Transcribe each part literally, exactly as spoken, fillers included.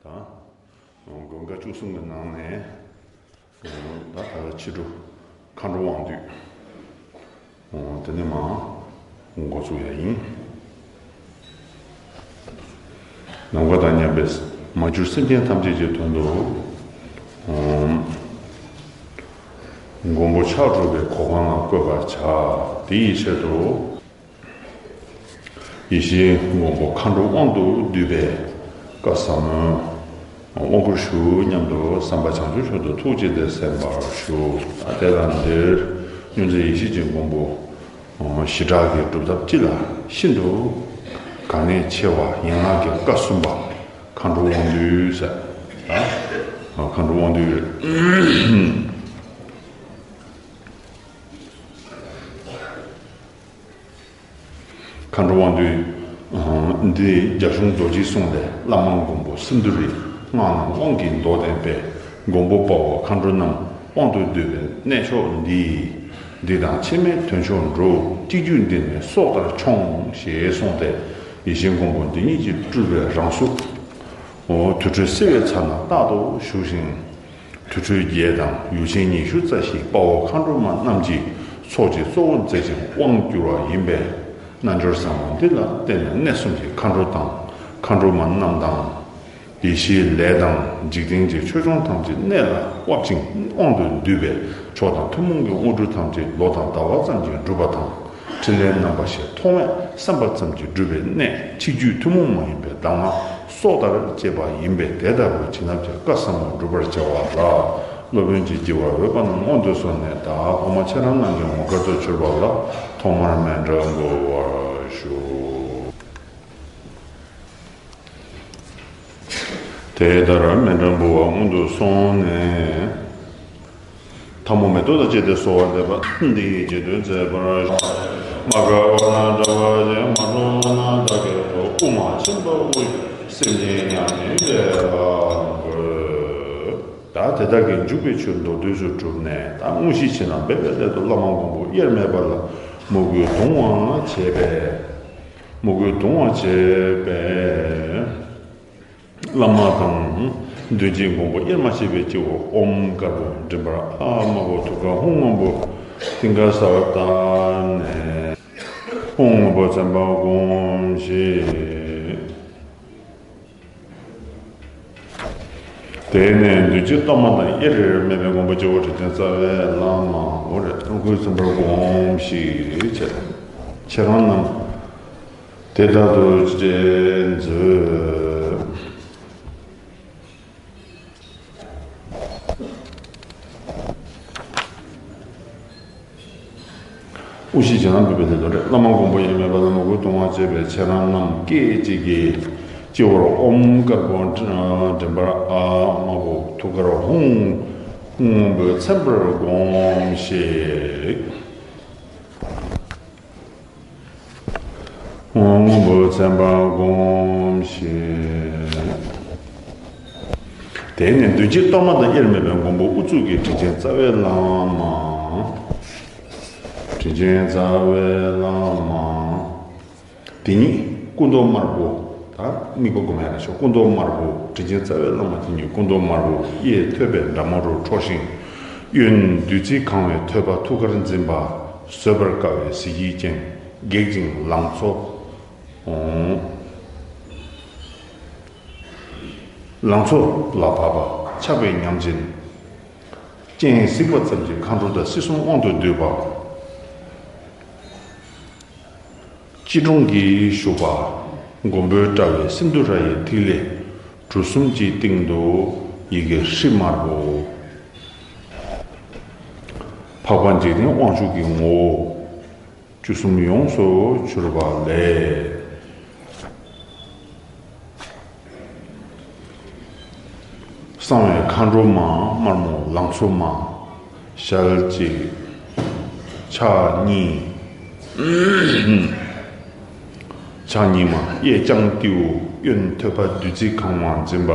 དང་། མགོན་ཁ་བཅུ་གསུམ་གྱི་ནང་ནས། ད་ད་ལྟ་ཕྱི་དྲོ་མཁའ་འགྲོ་དབང་འདུས། དེ་ནས་མར་འགོ་ཚུགས་ཡ་ཡིན། ནམ་མཁའ་དང་མཉམ་པའི་མ་གྱུར་སེམས་ཅན་ཐམས་ཅད་ཀྱི་དོན་དུ། མགོན་པོ་ཕྱག་དྲུག་པའི་གོ་འཕང་ལ་བཀོད་པར་བྱ། དེ་ཡི་ཆེད་དུ། ཡེ་ཤེས་མགོན་པོ་མཁའ་འགྲོ་དབང་དུ་བསྡུས་པའི་བཀའ་ཟབ་མོའི་དབང་བསྐུར་ཞུ་སྙམ་དུ་བསམ་པ་བྱང་ཆུབ་མཆོག་ཏུ་ཐུགས་བསྐྱེད་དེ་གསན་པར་ཞུ། ཨ་དེ་ལ་འདིར་མྱུར་མཛད་ཡེ་ཤེས་ཀྱི་མགོན་པོ་ཞི་དྲག་གི་སྒྲུབ་ཐབས་སྤྱི་ལ་ཤིན་ཏུ་གལ་གནད་ཆེ་བ་ཡན་ལག་གི་བཀའ་གསུམ་པ་མཁའ་འགྲོ་དབང་འདུས་ཟེར། མཁའ་འགྲོ་དབང་འདུས། མཁའ་འགྲོ་དབང་འདུས། འདི་རྒྱ་གཞུང་རྡོ་རྗེའི་གསུང་ལས་བླ་མ་མགོན་པོ་སིནྡྷུ་རའི་སྔགས་རྣམས་དབང་གི་མདོ་བསྟན་པས་མགོན་པོ་དཔའ་བོ་མཁའ་འགྲོ་རྣམས་དབང་དུ་བསྡུས་པའི་གནས་མཆོག་འདི། འདི་དང་ཕྱི་མའི་དོན་མཆོག་འགྲུབ། གཅིག་བརྒྱུད་འདི་ནས་སྲོག་ལྟར་མཆོང་ཞེས་གསུངས་ཏེ། ཡེ་ཤེས་མགོན་པོ་འདི་ཉིད་ཀྱི་སྤྲུལ་པའི་རང་གཟུགས། དུར་ཁྲོད་བསིལ་བའི་ཚལ་ན་རྟག་ཏུ་བཞུགས་ཤིང་། དུར་ཁྲོད་བརྒྱད་དང་ཡུལ་ཆེན་ཉི་ཤུ་རྩ་བཞིའི་དཔའ་བོ་མཁའ་འགྲོ་མ་རྣམས་ཀྱི་ཚོགས་ཀྱི་གཙོ་བོ་མཛད་ཅིང་དབང་བསྒྱུར་བ་ཡིན་པས། རྣལ་འབྱོར་ཟབ་མོ་འདི་ལ་བརྟེན་ནས་གནས་གསུམ་གྱི་མཁའ་འགྲོ་དང་མཁའ་འགྲོ་མ་རྣམས་དང་། ཡེ་ཤེས་ལས་དང་འཇིག་རྟེན་གྱི་ཆོས་སྐྱོང་ཐམས་ཅད་གནད་ལ་དབབ་ཅིང་དབང་དུ་འདུས་པས་མཆོག་དང་ཐུན་མོང་གི་དངོས་གྲུབ་ཐམས་ཅད་ལོ་དང་ཟླ་བ་ཙམ་གྱིས་འགྲུབ་པ་དང་། ཕྲིན་ལས་རྣམ་པ་བཞི་ཐོགས་མེད་བསམ་པ་ཙམ་གྱིས་འགྲུབ་པའི་གནད་ཆིག་བརྒྱུད་ཐུན་མོང་མ་ཡིན་པའི་གདམས་ངག་སྲོག་ལྟར་གཅེས་པ་ཡིན་པས། དེ་ལྟ་བུའི་བྱིན་རླབས་ཀྱི་བཀའ་ཟབ་མོ་སྒྲུབ་པར་བྱ་བ་ལ་སློབ་དཔོན་གྱིས་བགྱི་བར་འོས་པ་རྣམས་སྔོན་དུ་སོང་ནས་བདག་གོང་མ་ཁྱེད་རང་རྣམས་ཀྱི་ངོ་དཀར་དུ་གྱུར་པ་ལ་ཐོག་མར་མཎྜལ་འབུལ་བར་ཞུ། དེ་ལྟར་མཎྜལ་འབུལ་བ་སྔོན་དུ་སོང་ནས། ཐལ་མོ་མེ་ཏོག་དང་བཅས་ཏེ་གསོལ་བ་འདེབས་པ། འདི་ཡི་རྗེས་ཟློས་མཛད་པར་ཞུ། མ་དགའ་བ་དང་བྲལ་བ་ཡི། མ་འགྲོ་བ་དང་བདག་སྐྱེ་འགྲོ། དབུ་མ་ཆེན་པོ་དབུས། སེམས་ཅན་མྱ་ངན་ལས་སྒྲོལ། ད་དེ་དག་གི་འཇུག་པའི་ཆོས་མདོར་བསྡུས་སུ་གྲུབ་ནས། ད་དངོས་གཞི་བྱས་ན་འབད་པའི་སླད་དུ་བླ་མ་མགོན་པོ་དབྱེར་མེད་པ་ལ་མོས་གུས་གདུང་བ་བྱས་པས། མོས་གུས་གདུང་བ་བྱས་པས། བླ་མ་དང་མདུན་བསྐྱེད་མགོན་པོ་དབྱེར་མ་ཕྱེ་བའི་སྤྱི་བོར་ཨོཾ་དཀར་པོ་མགྲིན་པར་ཨཱཿདམར་པོ་ཐུགས་ཀར་ཧཱུྃ་སྔོན་པོ་མཐིང་ག་ས་བར་བཏབ་ནས། ཧཱུྃ་སྔོན་པོ་མཚན་པ་བསྒོམ་ཞིང་། དེ་ནས་མདུན་བསྐྱེད་གཏོར་མ་དང་དབྱེར་མེད་པའི་མགོན་པོ་སྤྱི་བོར་དྲིན་ཅན་རྩ་བའི་བླ་མ་འོ་རེད། ཨོཾ་སྐུའི་མཚན་པ་བསྒོམ་ཞིང་བྱས། ཁྱེད་རང་རྣམས། དེ་ལྟར་དུ་སྤྱན་འཛུལ། དབུ་བཞི་རྗེས་གནང་འབུལ་བའི་ལེའུ་རེད། བླ་མ་མགོན་པོ་དབྱེར་མེད་པ་ལ་མོས་གུས་གདུང་བ་བྱས་པའི་ཁྱེད་རང་རྣམས་སྐད་ཅིག་གིས་སྤྱི་བོར་ཨོཾ་དཀར་པོ་མགྲིན་པར་ཨཱཿདམར་པོ་ཐུགས་ཀར་ཧཱུྃ་སྔོན་པོའི་མཚན་པ་བསྒོམ་ཞིང་། སྔོན་པོ་མཚན་པ་བསྒོམ་ཞིང་། དེ་ནས་མདུན་བསྐྱེད་གཏོར་མ་དང་དབྱེར་མེད་པའི་མགོན་པོ་དབུ་གཙུག་གི་དྲིན་ཅན་རྩ་བའི་བླ་མ། དྲིན་ཅན་རྩ་བའི་བླ་མ། དེ་ཉིད་སྐུ་མདོག་དམར་པོ། ད་དམིགས་པ་བསྒོམ་ཡ་ལ་ཤོག་སྐུ་མདོག་དམར་པོ། དྲིན་ཅན་རྩ་བའི་བླ་མ་དེ་ཉིད་སྐུ་མདོག་དམར་པོ་གཡས་ཐོད་པའི་འདབ་མ་རུ་འཁྲོལ་ཞིང་། གཡོན་བདུད་རྩིས་གང་བའི་ཐོད་པ་ཐུགས་ཀར་འཛིན་པ། བཟོད་པར་དཀའ་བའི་གཟི་བརྗིད་ཅན། སྒེག་ཅིང་ལང་ཚོ། ལང་ཚོ་ལ་བབ་པ། ཆགས་པའི་ཉམས་ཅན། སྤྱན་གཟིགས་པ་ཙམ་གྱིས་མཁའ་འགྲོ་དང་སྲིད་གསུམ་དབང་དུ་འདུས་པ། སྐྱིལ་ཀྲུང་གིས་བཞུགས་པ། མགོན་པོའི་དཔྲལ་བའི་སིནྡྷུ་ར་ཡི་ཐིག་ལེ་གྲུ་གསུམ་གྱི་སྟེང་དུ་ཡི་གེ་ཧྲཱིཿདམར་པོ། འཕགས་པ་འཇིག་རྟེན་དབང་ཕྱུག་གི་ངོ་བོ་བཅུ་གསུམ་ཡོངས་སུ་གྱུར་པ་ལས། གསང་བའི་མཁའ་འགྲོ་མ་དམར་མོ་ལང་ཚོ་མ། ཞལ་གཅིག་ཕྱག་གཉིས། ཕྱག་གཉིས་མ་གཡས་བརྐྱང་ཏེའུ། གཡོན་ཐོད་པ་བདུད་རྩིས་གང་བ་འཛིན་པ།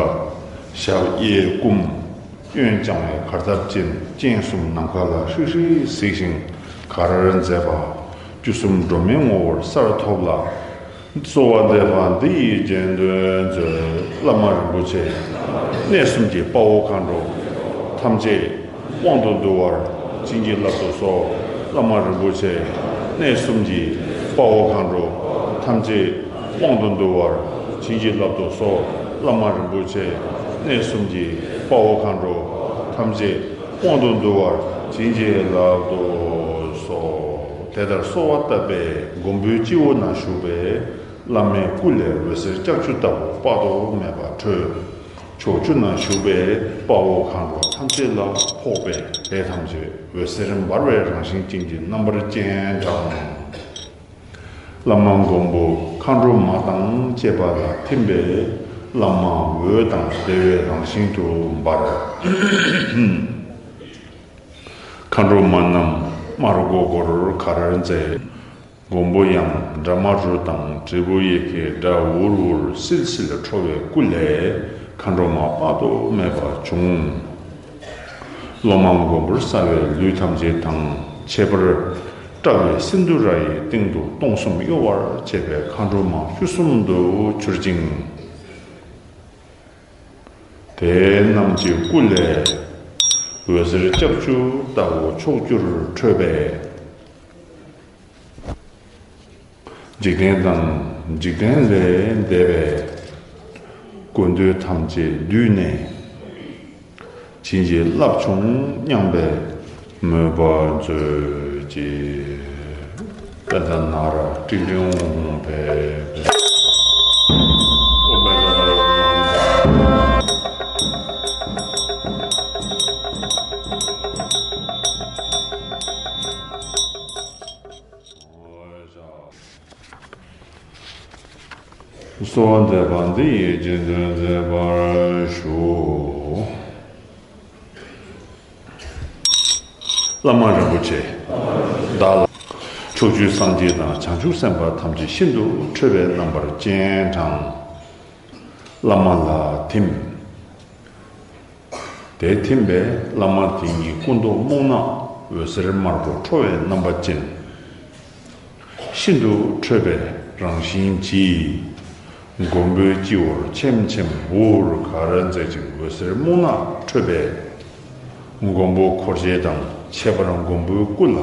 ཞབས་གཡས་བསྐུམ། གཡོན་བརྐྱང་བའི་གར་སྟབས་ཅན། སྤྱན་གསུམ་ནམ་མཁའ་ལ་ཧྲིག་ཧྲིག་གཟིགས་ཤིང་གར་མཛད་པ། བཅུ་གསུམ་སྒྲོལ་མའི་ངོ་བོར་གསལ་ཐོབ་ལ། གསོལ་བ་འདེབས་པ་འདི་ཡི་རྗེས་ཟློས་མཛོད། བླ་མ་རིན་པོ་ཆེ། གནས་གསུམ་གྱི་དཔའ་བོ་མཁའ་འགྲོ་ཐམས་ཅད་དབང་དུ་འདུ་བར་བྱིན་གྱིས་བརླབ་ཏུ་གསོལ། བླ་མ་རིན་པོ་ཆེ། གནས་གསུམ་གྱི་དཔའ་བོ་མཁའ་འགྲོ་ཐམས་ཅད་དབང་དུ་འདུ་བར་བྱིན་གྱིས་བརླབ་ཏུ་གསོལ། བླ་མ་རིན་པོ་ཆེ། གནས་གསུམ་གྱི་དཔའ་བོ་མཁའ་འགྲོ་ཐམས་ཅད་དབང་དུ་འདུ་བར་བྱིན་གྱིས་བརླབ་ཏུ་གསོལ། དེ་ལྟར་གསོལ་བ་བཏབ་པས་མགོན་པོའི་སྤྱི་བོ་ན་བཞུགས་པའི་བླ་མའི་སྐུ་ལས་འོད་ཟེར་ལྕགས་ཀྱུ་ལྟ་བུ་དཔག་ཏུ་མེད་པ་འཕྲོས། ཕྱོགས་བཅུ་ན་བཞུགས་པའི་དཔའ་བོ་མཁའ་འགྲོ་ཐམས་ཅད་ལ་ཕོག་པས་དེ་ཐམས་ཅད་འོད་ཟེར་འབར་བའི་རང་བཞིན་ཅན་གྱི་རྣམ་པར་སྤྱན་དྲངས། བླ་མ་མགོན་པོ་མཁའ་འགྲོ་མ་དང་བཅས་པ་ལ་ཐིམ་པས་བླ་མ་འོད་དང་བདེ་བའི་རང་བཞིན་དུ་འབར། མཁའ་འགྲོ་མ་རྣམས་དམར་མགོ་སྒོར་གར་མཛད། མགོན་པོ་ཡང་ཌ་མ་རུ་དང་དྲིལ་བུ་ཡི་གེ་སྒྲ་འུར་འུར་སིལ་སིལ་འཕྲོ་བའི་སྐུ་ལས་མཁའ་འགྲོ་མ་དཔག་ཏུ་མེད་པ་བྱུང་། སློབ་མ་མགོན་པོར་གསལ་བའི་ལུས་ཐམས་ཅད་དང་ཁྱད་པར་བཀྲ་བའི་སིནྡྷུ་ར་ཡི་སྟེང་དུ་སྟོང་གསུམ་གཡོ་བར་བྱེད་པའི་མཁའ་འགྲོ་མ་བཅུ་གསུམ་དུ་གྱུར་ཅིང་། དེ་རྣམས་ཀྱི་སྐུ་ལས་འོད་ཟེར་ལྕགས་ཀྱུ་ལྟ་བུ་ཕྱོགས་བཅུར་འཕྲོས་པས། འཇིག་རྟེན་དང་འཇིག་རྟེན་ལས་འདས་པའི་དགོས་འདོད་ཐམས་ཅད་བསྡུས་ནས་བྱིན་གྱིས་བརླབས་བྱུང་སྙམ་པའི་མོས་པ་མཛོད་ཅིག། པད་ནཱ་ར་ཏིང་ཏིང་ཧོང་ཕེ་ཕེ། གསོལ་བ་འདེབས་པ་འདི་ཡིས་རྗེས་ཟློས་མཛད་པར་ཞུ། བླ་མ་རིན་པོ་ཆེ་བདག་ལ་ཕྱོགས་བཅུའི་སངས་རྒྱས་དང་བྱང་ཆུབ་སེམས་དཔའ་ཐམས་ཅད་ཤིན་ཏུ་ཁྲོས་པའི་རྣམ་པར་སྤྱན་དྲངས། བླ་མ་ལ་ཐིམ། དེ་ཐིམ་པས་བླ་མ་དེ་ཉིད་སྐུ་མདོག་སྨུག་ནག་འོད་ཟེར་དམར་པོ་འཕྲོ་བའི་རྣམ་པ་ཅན། ཤིན་ཏུ་ཁྲོས་པའི་རང་བཞིན་གྱིས། མགོན་པོའི་སྤྱི་བོར་ཆེམ་ཆེམ་འུར་འུར་གར་མཛད་ཅིང་འོད་ཟེར་སྨུག་ནག་འཕྲོས་པས། མགོན་པོ་འཁོར་བཅས་དང་ཁྱད་པར་མགོན་པོའི་སྐུ་ལ།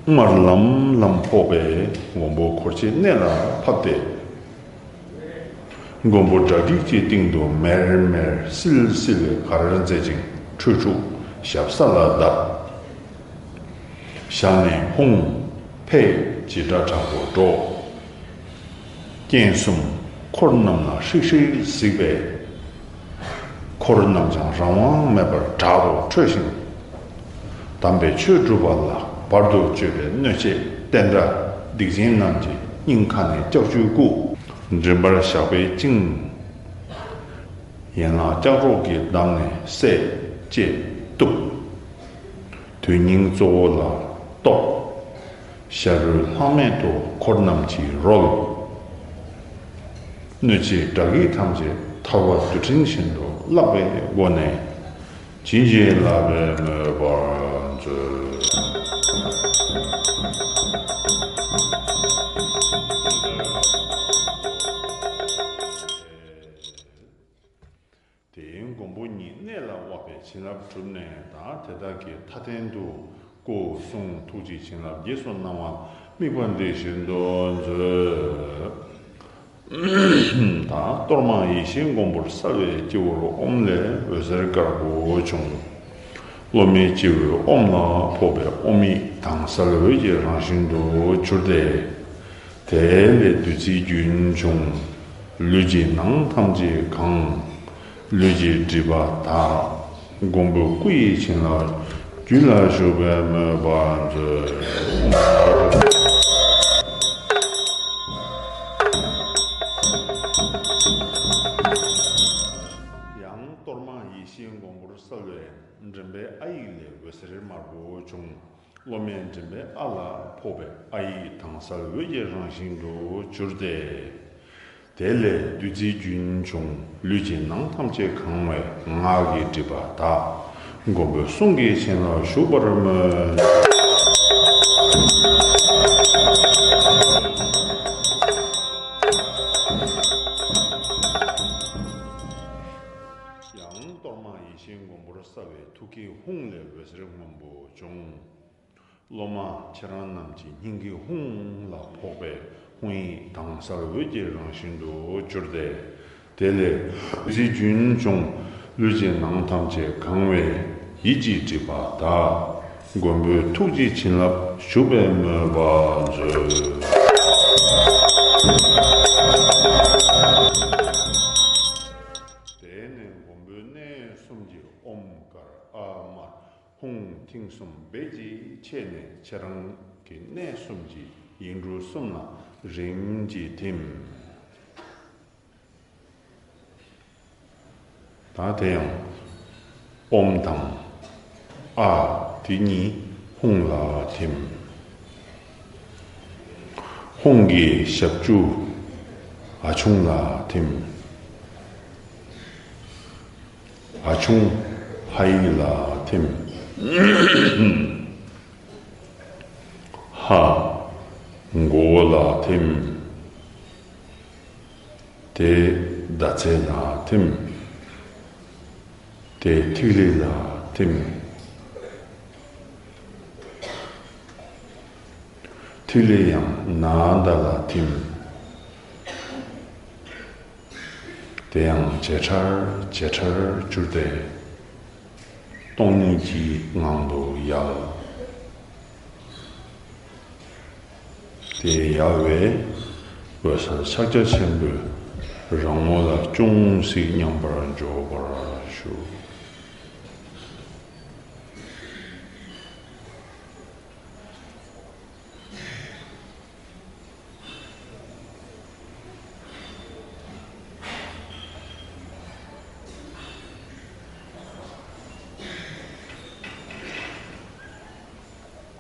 དམར་ལམ་ལམ་ཕོག་པས་མགོན་པོ་འཁོར་བཅས་གནད་ལ་ཕབ་སྟེ། མགོན་པོ་དགྲ་བགེགས་ཀྱི་སྟེང་དུ་མེར་མེར་སིལ་སིལ་གར་མཛད་ཅིང་ཁྲོས་འཁྲུགས་ཞབས་ས་ལ་བརྡབས། ཞལ་ནས་ཧཱུྃ་ཕཊ་ཀྱི་སྒྲ་དྲག་པོ་སྒྲོགས། སྤྱན་གསུམ་འཁོར་རྣམས་ལ་ཧྲིག་ཧྲིག་གཟིགས་པས། འཁོར་རྣམས་ཀྱང་རང་དབང་མེད་པར་དྲག་ཏུ་ཁྲོས་ཤིང་། དམ་པའི་ཆོས་སྒྲུབ་པ་ལ་བར་དུ་གཅོད་པའི་གནོད་བྱེད་བསྟན་དགྲ་སྡིག་ཅན་རྣམས་ཀྱི་སྙིང་ཁ་ནས་ལྕགས་ཀྱུས་བཀུག། མགྲིན་པར་ཞགས་པས་བཅིངས། ཡན་ལག་ལྕགས་སྒྲོག་གིས་བསྡམས་ནས་བསད་ཅེས་གཏུབས། དོན་སྙིང་གཙོ་བོ་ལ་གཏོགས། ཤ་རུས་ལྷག་མེད་དུ་འཁོར་རྣམས་ཀྱིས་རོལ། གནོད་བྱེད་དགྲ་བགེགས་ཐམས་ཅད་ཐལ་བ་རྡུལ་ཕྲན་བཞིན་དུ་བརླག་པའི་སྒོ་ནས་བྱིན་གྱིས་བརླབ་པའི་མོས་པ་མཛོད། དེའི་མགོན་པོ་ཉིད་གནད་ལ་དབབ་པའི་བྱིན་རླབས་གྲུབ་ནས་ད་དེ་དག་གི་མཐའ་རྟེན་དུ་སྐུ་གསུང་ཐུགས་ཀྱི་བྱིན་རླབས་རྗེས་སུ་གནང་བ་དམིགས་པ་འདི་བཞིན་དུ་མཛོད། ད་གཏོར་མ་ཡེ་ཤེས་མགོན་པོར་གསལ་བའི་སྤྱི་བོར་ཨོཾ་ལས་འོད་ཟེར་དཀར་པོ་བྱུང་། སློབ་མའི་སྤྱི་བོའི་ཨོཾ་ལ་ཕོག་པས་ཨོཾ་ཡིག་དྭངས་གསལ་འོད་ཀྱི་རང་བཞིན་དུ་གྱུར་ཏེ། དེ་ལས་བདུད་རྩིའི་རྒྱུན་བྱུང་། ལུས་ཀྱི་ནང་ཐམས་ཅད་གང་། ལུས་ཀྱི་སྒྲིབ་པ་དག། མགོན་པོའི་སྐུ་ཡི་བྱིན་རླབས་རྒྱུད་ལ་ཞུགས་པའི་མོས་པ་མཛོད། ཡང་གཏོར་མ་ཡེ་ཤེས་མགོན་པོར་གསལ་བའི་མགྲིན་པའི་ཨ་ཡིག་ལས་འོད་ཟེར་དམར་པོ་བྱུང་། སློབ་མའི་མགྲིན་པའི་ཨ་ལ་ཕོག་པས་ཨ་ཡིག་དྭངས་གསལ་འོད་ཀྱི་རང་བཞིན་དུ་གྱུར་ཏེ། དེ་ལས་བདུད་རྩིའི་རྒྱུན་བྱུང་། ལུས་ཀྱི་ནང་ཐམས་ཅད་གང་བས་ངག་གི་སྒྲིབ་པ་དག། མགོན་པོའི་གསུང་གི་བྱིན་རླབས་ཞུགས་པར་མོས། བསགས་པའི་ཐུགས་ཀའི་ཧཱུྃ་ལས་འོད་ཟེར་སྔོན་པོ་བྱུང་། སློབ་མ་ཁྱེད་རང་རྣམས་ཀྱི་སྙིང་གའི་ཧཱུྃ་ལ་ཕོག་པས་ཧཱུྃ་ཡིག་དྭངས་གསལ་འོད་ཀྱི་རང་བཞིན་དུ་གྱུར་ཏེ། དེ་ལས་བདུད་རྩི་རྒྱུན་བྱུང་། ལུས་ཀྱི་ནང་ཐམས་ཅད་གང་བས་ཡིད་ཀྱིས་བསྒྲིབས་པ་དག། མགོན་པོའི་ཐུགས་ཀྱི་བྱིན་རླབས་ཞུགས་པའི་མོས་པ་མཛོད། དེ་ནས་མགོན་པོའི་གནས་གསུམ་གྱི་ཨོཾ་ཀར་ཨཱཿདམར་ཧཱུྃ་མཐིང་གསུམ་སྦས་ཀྱིས་ཕྱེ་ནས་ཁྱེད་རང་གི་གནས་གསུམ་གྱི་ཡིག་འབྲུ་གསུམ་ལ་རིམ་གྱིས་ཐིམ། ད་དེ་ཡང་ཨོཾ་དང་ཨཱཿདམར་དེ་གཉིས་ཧཱུྃ་ལ་ཐིམ། ཧཱུྃ་གི་ཞབས་ཀྱུ་ཨ་ཆུང་ལ་ཐིམ། ཨ་ཆུང་ཧ་ཡིག་ལ་ཐིམ། ཧ་མགོ་བོ་ལ་ཐིམ། དེ་ཟླ་ཚེས་ལ་ཐིམ། དེ་ཐིག་ལེ་ལ་ཐིམ། ཐིག་ལེ་ཡང་ན་ཟླ་ལ་ཐིམ། དེ་ཡང་ཇེ་ཕྲར་ཇེ་ཕྲར་གྱུར་ཏེ། སྟོང་ཉིད་ཀྱི་ངང་དུ་ཡལ། དེ་ཡལ་བས་འོད་གསལ་ཕྱག་རྒྱ་ཆེན་པོའི་རང་ངོ་ལ་ཅུང་ཟད་མཉམ་པར་འཇོག་པར་ཞུ།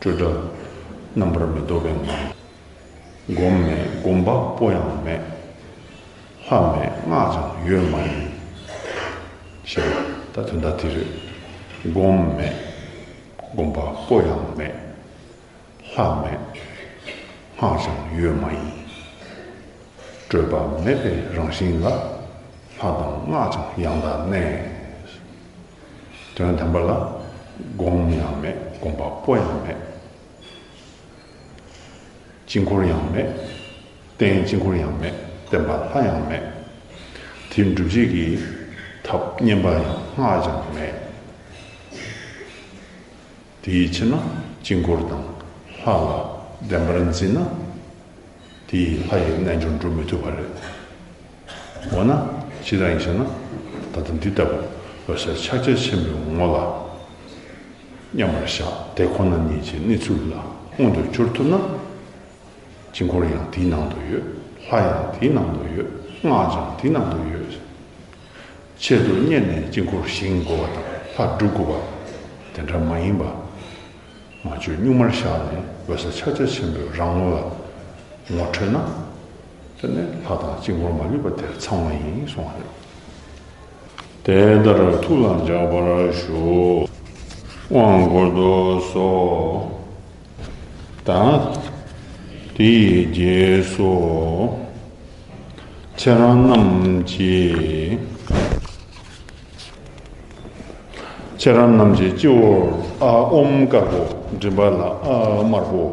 སྤྲོས་བྲལ་རྣམ་པར་མི་རྟོག་པའི་ངང་། སྒོམ་མེད་སྒོམ་པ་པོ་ཡང་མེད། ལྷ་མེད་སྔགས་ཀྱང་ཡོད་མ་ཡིན། ཞེས་པ་ད་དོན་དག་དེ་རེད། སྒོམ་མེད་སྒོམ་པ་པོ་ཡང་མེད། ལྷ་མེད་སྔགས་ཀྱང་ཡོད་མ་ཡིན། སྤྲོས་པ་མེད་པའི་རང་བཞིན་ལ། ལྷ་དང་སྔགས་ཀྱང་ཡང་དག་གནས། དོན་དམ་པ་ལ་སྒོམ་ཡང་མེད་སྒོམ་པ་པོ་ཡང་མེད། དཀྱིལ་འཁོར་ཡང་མེད། རྟེན་དཀྱིལ་འཁོར་ཡང་མེད། བརྟེན་པ་ལྷ་ཡང་མེད། དེ་སྒྲུབ་བྱེད་ཀྱི་ཐབས་བསྙེན་པ་ཡང་སྔགས་ཀྱང་མེད། དེའི་ཕྱིར་ན་དཀྱིལ་འཁོར་དང་ལྷ་ལ་བདེན་པར་འཛིན་ན། དེས་ལྷ་ཡི་རྣལ་འབྱོར་འགྲུབ་མི་ཐུབ་པ་རེད། འོ་ན་ཇི་ལྟར་ཡིན་ཞེ་ན། ད་ལྟ་འདི་ལྟ་བུ་འོད་གསལ་ཕྱག་རྒྱ་ཆེན་པོའི་ངོ་ལ་མཉམ་པར་བཞག་དེ་ཁོ་ན་ཉིད་ཀྱི་གནས་ཚུལ་ལ་མངོན་དུ་གྱུར་ཐུབ་ན། དཀྱིལ་འཁོར་ཡང་དེའི་ནང་དུ་ཡོད། ལྷ་ཡང་དེའི་ནང་དུ་ཡོད། སྔགས་ཀྱང་དེའི་ནང་དུ་ཡོད། ཆེད་དུ་གཉེར་ནས་དཀྱིལ་འཁོར་བཞེངས་དགོས་པ་དང་ལྷ་སྒྲུབ་དགོས་པ་དེ་འདྲ་མ་ཡིན་པ། མ་བཅོས་གཉུག་མར་བཞག་ནས་འོད་གསལ་ཕྱག་རྒྱ་ཆེན་པོའི་རང་ངོ་ལ་ངོ་འཕྲོད་ན། དེ་ནས་ལྷ་དང་དཀྱིལ་འཁོར་མ་ལུས་པ་དེར་ཚང་བ་ཡིན་གསུངས་པ་རེད། དེ་ལྟར་ཐུགས་ལ་འཇགས་པར་ཞུ། དབང་བསྐུར་དུ་གསོལ། ད་དེའི་རྗེས་སུ་ཁྱེད་རང་རྣམས་ཀྱིས། ཁྱེད་རང་རྣམས་ཀྱི་སྤྱི་བོར་ཨ་ཨོཾ་དཀར་པོ། མགྲིན་པ་ལ་ཨ་དམར་པོ།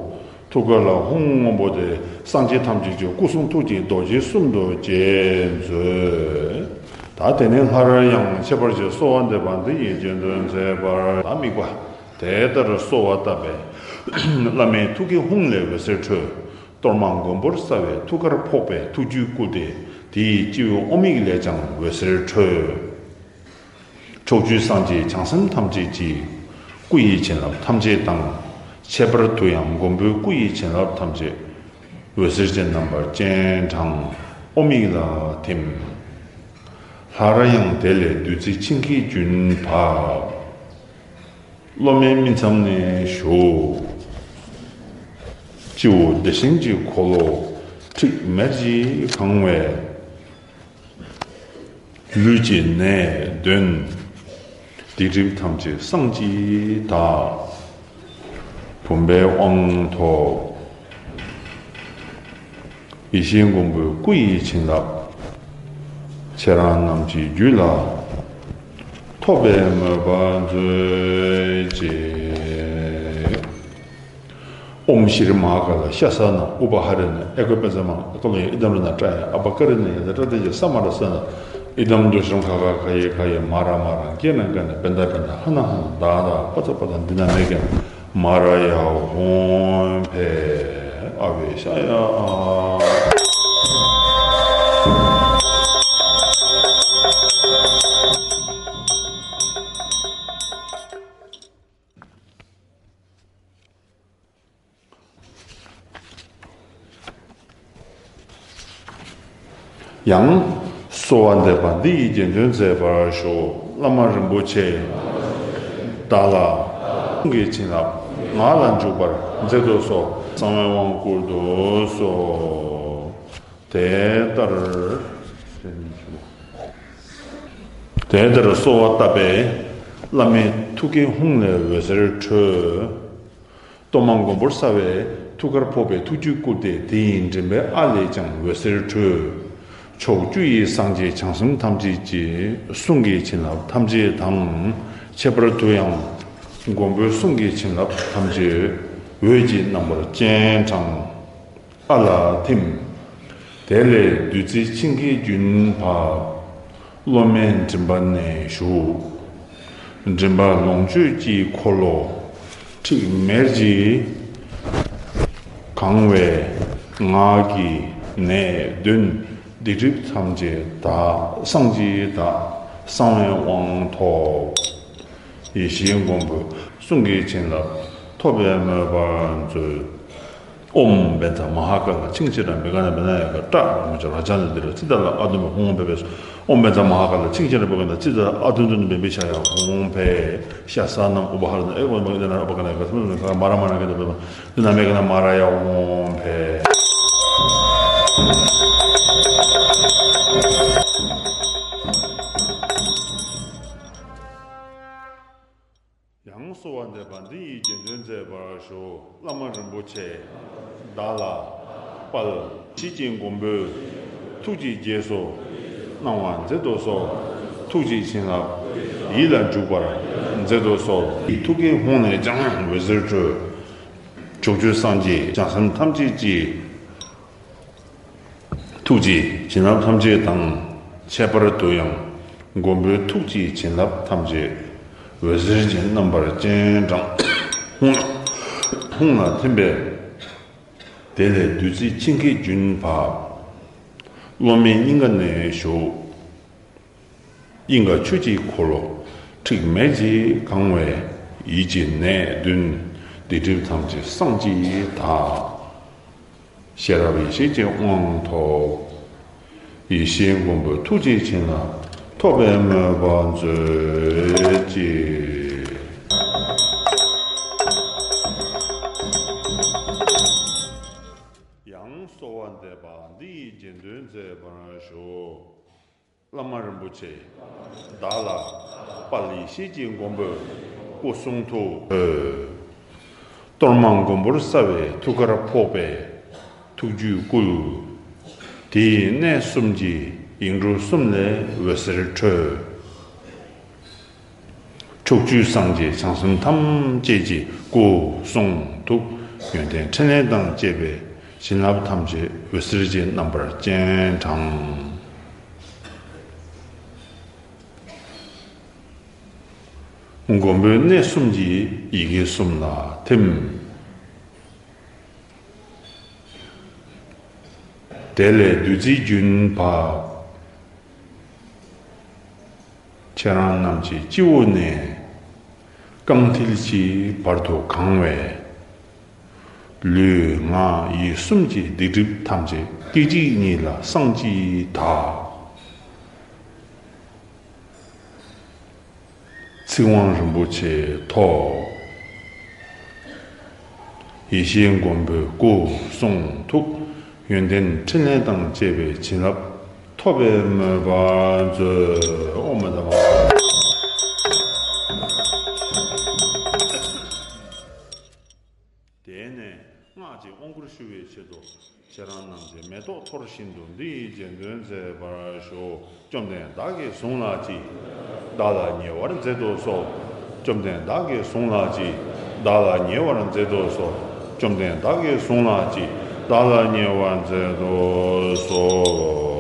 ཐུགས་ཀ་ལ་ཧཱུྃ་སྔོན་པོ་དེ་སངས་རྒྱས་ཐམས་ཅད་ཀྱི་སྐུ་གསུང་ཐུགས་ཀྱི་རྡོ་རྗེ་གསུམ་དུ་བསྐྱེད་མཛོད། ད་དེ་ནས་སླར་ཡང་ཁྱད་པར་གྱི་གསོལ་བ་འདེབས་པ་འདི་ཡི་རྗེས་ཟློས་མཛད་པར། ད་དམིགས་པ་དེ་ལྟར་གསོལ་བ་བཏབ་པས། བླ་མའི་ཐུགས་ཀའི་ཧཱུྃ་ལས་འོད་ཟེར་འཕྲོས། གཏོར་མ་མགོན་པོར་གསལ་བའི་ཐུགས་ཀར་ཕོག་པས་ཐུགས་རྒྱུད་བསྐུལ་ཏེ། དེའི་སྤྱི་བོའི་ཨོཾ་ཡིག་ལས་ཀྱང་འོད་ཟེར་འཕྲོས། ཕྱོགས་བཅུའི་སངས་རྒྱས་བྱང་སེམས་ཐམས་ཅད་ཀྱི་སྐུ་ཡི་བྱིན་རླབས་ཐམས་ཅད་དང་། ཁྱད་པར་དུ་ཡང་མགོན་པོའི་སྐུ་ཡི་བྱིན་རླབས་ཐམས་ཅད་འོད་ཟེར་ཅན་རྣམ་པར་སྤྱན་དྲངས་ཨོཾ་ཡིག་ལ་ཐིམ། སླར་ཡང་དེ་ལས་བདུད་རྩི་ཆིངས་ཀྱི་རྒྱུན་བབས། སློབ་མའི་སྨིན་མཚམས་ནས་ཞུགས། སྤྱི་བོ་བདེ་ཆེན་གྱི་འཁོར་ལོ་ཁྲིག་མེར་གྱིས་གང་བས། ལུས་ཀྱི་ནད་གདོན་སྡིག་སྒྲིབ་ཐམས་ཅད་སངས་ཀྱིས་དག། བུམ་པའི་དབང་ཐོབ། ཡེ་ཤེས་མགོན་པོའི་སྐུ་ཡི་བྱིན་རླབས་ཁྱེད་རང་རྣམས་ཀྱི་རྒྱུད་ལ་ ཐོབ་པའི་མོས་པ་མཛོད་ཅིག། ཨོཾ་ཤྲཱི་མ་ཧཱ་ཀཱ་ལ་ཤ་ས་ན་ཨུ་པ་ཧ་རེ་ན་ཨེ་ཀོ་པཉྩ་མ་ཀ་ལོ་ཡ་ཨི་དམ་ར་ན་ཏྲ་ཡ་ཨ་པ་ཀ་རེ་ན་ཡ་ད་ཏྲ་ཏེ་ཇ་ས་མ་ར་ས་ན་ཨི་དམ་དུ་ཤྲམ་ཁ་ཁ་ཁ་ཡེ་ཁ་ཡེ་མ་ར་མ་ར་ཀེ་ན་ཀ་ན་པན་ད་པན་ད་ཧ་ན་ཧ་ན་ད་ད་པ་ཙ་པ་ཙ་འདི་ན་མེ་ཀེ་ན་མ་ར་ཡ་ཧོང་ཕེ་ཨ་བེ་ཤ་ཡ་ཨ། ཡང་། གསོལ་བ་འདེབས་པ་འདི་ཡི་རྗེས་ཟློས་མཛད་པར་ཞུ། བླ་མ་རིན་པོ་ཆེ་བདག་ལ་གསུང་གི་བྱིན་རླབས་ངག་ལ་འཇུག་པར་མཛད་དུ་གསོལ། གསང་བའི་དབང་བསྐུར་དུ་གསོལ། དེ་ལྟར། དེ་ལྟར་གསོལ་བ་བཏབ་པས་བླ་མའི་ཐུགས་ཀའི་ཧཱུྃ་ལས་འོད་ཟེར་འཕྲོས། གཏོར་མ་མགོན་པོར་གསལ་བའི་ཐུགས་ཀར་ཕོག་པས་ཐུགས་རྒྱུད་བསྐུལ་ཏེ་དེ་ཡི་མགྲིན་པའི་ཨ་ལས་ཀྱང་འོད་ཟེར་འཕྲོས། ཕྱོགས་བཅུ་ཡི་སངས་རྒྱས་བྱང་སེམས་ཐམས་ཅད་ཀྱི་གསུང་གི་བྱིན་རླབས་ཐམས་ཅད་དང་། ཁྱད་པར་དུ་ཡང་མགོན་པོའི་གསུང་གི་བྱིན་རླབས་ཐམས་ཅད་འོད་ཀྱི་རྣམ་པར་སྤྱན་དྲངས། ཨ་ལ་ཐིམ། དེ་ལས་བདུད་རྩི་ཆིངས་ཀྱི་རྒྱུན་བབས། སློབ་མའི་མགྲིན་པ་ནས་ཞུགས། མགྲིན་པ་ལོངས་སྤྱོད་ཀྱི་འཁོར་ལོ་ཁྲིག་མེར་གྱིས་གང་བས་ངག་གི་ནད་གདོན་སྡིག་སྒྲིབ་ཐམས་ཅད་དག། སངས་ཀྱིས་དག། གསང་བའི་དབང་ཐོབ། ཡེ་ཤེས་མགོན་པོའི་གསུང་གི་བྱིན་རླབས་ཐོབ་པའི་མོས་པ་མཛོད། ཨོཾ་བཛྲ་མ་ཧཱ་ཀཱ་ལ་ཕྱིན་ཅི་ལ་མི་ག་ན་མི་ན་ཡ་ག་ཏྲ་མུ་ཅ་ར་ཅ་ན་དི་ར་ཙི་ཏ་ལ་ཨ་དུ་མ་ཧོང་བེ་བེ་སོ། ཨོཾ་བཛྲ་མ་ཧཱ་ཀཱ་ལ་ཕྱིན་ཅི་ལ་བེ་ག་ན་ཙི་ཏ་ལ་ཨ་དུ་དུ་ནི་བེ་བེ་ཤ་ཡ་ཧོང་བེ་ཤ་ས་ནམ་ཨུ་པ་ཧ་ར་ན་ཨེ་ཝ་མ་གི་ན་ཨ་པ་ག་ན་ག་ས་མ་ག་མ་ར་མ་ན་ག་ན་བེ་མ་དུ་ན་མེ་ག་ན་མ་ར་ཡ་ཧོང་བེ། ཡང་གསོལ་བ་འདེབས་པ་འདི་ཡི་རྗེས་ཟློས་མཛད་པར་ཞུ། བླ་མ་རིན་པོ་ཆེ་བདག་ལ་དཔལ་ཡེ་ཤེས་ཀྱི་མགོན་པོའི་ཐུགས་ཀྱི་རྗེས་སུ་གནང་བ་མཛད་དུ་གསོལ། ཐུགས་ཀྱི་བྱིན་རླབས་ཡིད་ལ་འཇུག་པར་མཛད་དུ་གསོལ། ཐུགས་ཀའི་ཧཱུྃ་ནས་ཀྱང་འོད་ཟེར་འཕྲོས། ཕྱོགས་བཅུའི་སངས་རྒྱས་བྱང་སེམས་ཐམས་ཅད་ཀྱི་ཐུགས་ཀྱི་བྱིན་རླབས་ཐམས་ཅད་དང་། ཁྱད་པར་དུ་ཡང་མགོན་པོའི་ཐུགས་ཀྱི་བྱིན་རླབས་ཐམས་ཅད་འོད་ཟེར་གྱི་རྣམ་པར་སྤྱན་དྲངས། ཧཱུྃ་ཧཱུྃ་ལ་ཐིམ་པས། དེ་ལས་བདུད་རྩི་ཆིངས་ཀྱི་རྒྱུན་བབས། སློབ་མའི་སྙིང་ག་ནས་ཞུགས། དབྱིངས་ཀ་ཆོས་ཀྱི་འཁོར་ལོ་ཁྲིག་མེར་གྱིས་གང་བས། ཡིད་ཀྱི་ནད་གདོན་སྡིག་སྒྲིབ་ཐམས་ཅད་སངས་ཀྱིས་དག། ཤེས་རབ་ཡེ་ཤེས་ཀྱི་དབང་ཐོབ། ཡེ་ཤེས་མགོན་པོའི་ཐུགས་ཀྱི་བྱིན་རླབས་ཐོབ་པའི་མོས་པ་མཛོད་ཅིག། ཡང་གསོལ་བ་འདེབས་པ་འདི་ཡི་རྗེས་ཟློས་མཛད་པར་ཞུ། བླ་མ་རིན་པོ་ཆེ་བདག་ལ་དཔལ་ཡེ་ཤེས་ཀྱི་མགོན་པོའི་སྐུ་གསུང་ཐུགས་འོད། གཏོར་མ་མགོན་པོར་གསལ་བའི་ཐུགས་ཀར་ཕོག་པས་ཐུགས་རྒྱུད་བསྐུལ། དེ་ཡི་གནས་གསུམ་གྱི་ཡིག་འབྲུ་གསུམ་ལས་འོད་ཟེར་འཕྲོས། ཕྱོགས་བཅུའི་སངས་རྒྱས་བྱང་སེམས་ཐམས་ཅད་ཀྱི་སྐུ་གསུང་ཐུགས་ཡོན་ཏན་ཕྲིན་ལས་དང་བཅས་པའི་བྱིན་རླབས་ཐམས་ཅད་འོད་ཟེར་གྱི་རྣམ་པར་སྤྱན་དྲངས། མགོན་པོའི་གནས་གསུམ་གྱི་ཡི་གེ་གསུམ་ལ་ཐིམ། དེ་ལས་བདུད་རྩིའི་རྒྱུན་བབས། ཁྱེད་རང་རྣམས་ཀྱི་སྤྱི་བོ་ནས་རྐང་མཐིལ་གྱི་བར་དུ་གང་བས། ལུས་ངག་ཡིད་གསུམ་གྱི་སྡིག་སྒྲིབ་ཐམས་ཅད་སྐད་ཅིག་ཉིད་ལ་སངས་ཀྱིས་དག། ཚིག་དབང་རིན་པོ་ཆེ་ཐོབ། ཡེ་ཤེས་མགོན་པོའི་སྐུ་གསུང་ཐུགས་ཡོན་ཏན་ཕྲིན་ལས་དང་བཅས་པའི་བྱིན་རླབས་ཐོབ་པའི་མོས་པ་མཛོད། ཨོཾ་ཨ་ཏ་མ། དེ་ནས་སྔགས་ཀྱི་ དབང་བསྐུར་ཞུ་བའི་ཆེད་དུ། ཁྱེད་རང་རྣམས་ཀྱི་མེ་ཏོག་འཐོར་བཞིན་དུ་འདི་ཡི་རྗེས་ཟློས་མཛད་པར་ཞུ། བཅོམ་ལྡན་བདག་གིས་བཟུང་ལགས་ཀྱིས། བདག་ལ་ཉེ་བར་མཛད་དུ་གསོལ། བཅོམ་ལྡན་བདག་གིས་བཟུང་ལགས་ཀྱིས། བདག་ལ་ཉེ་བར་མཛད་དུ་གསོལ། བཅོམ་ལྡན་བདག་གིས་བཟུང་ལགས་ཀྱིས། བདག་ལ་ཉེ་བར་མཛད་དུ་གསོལ།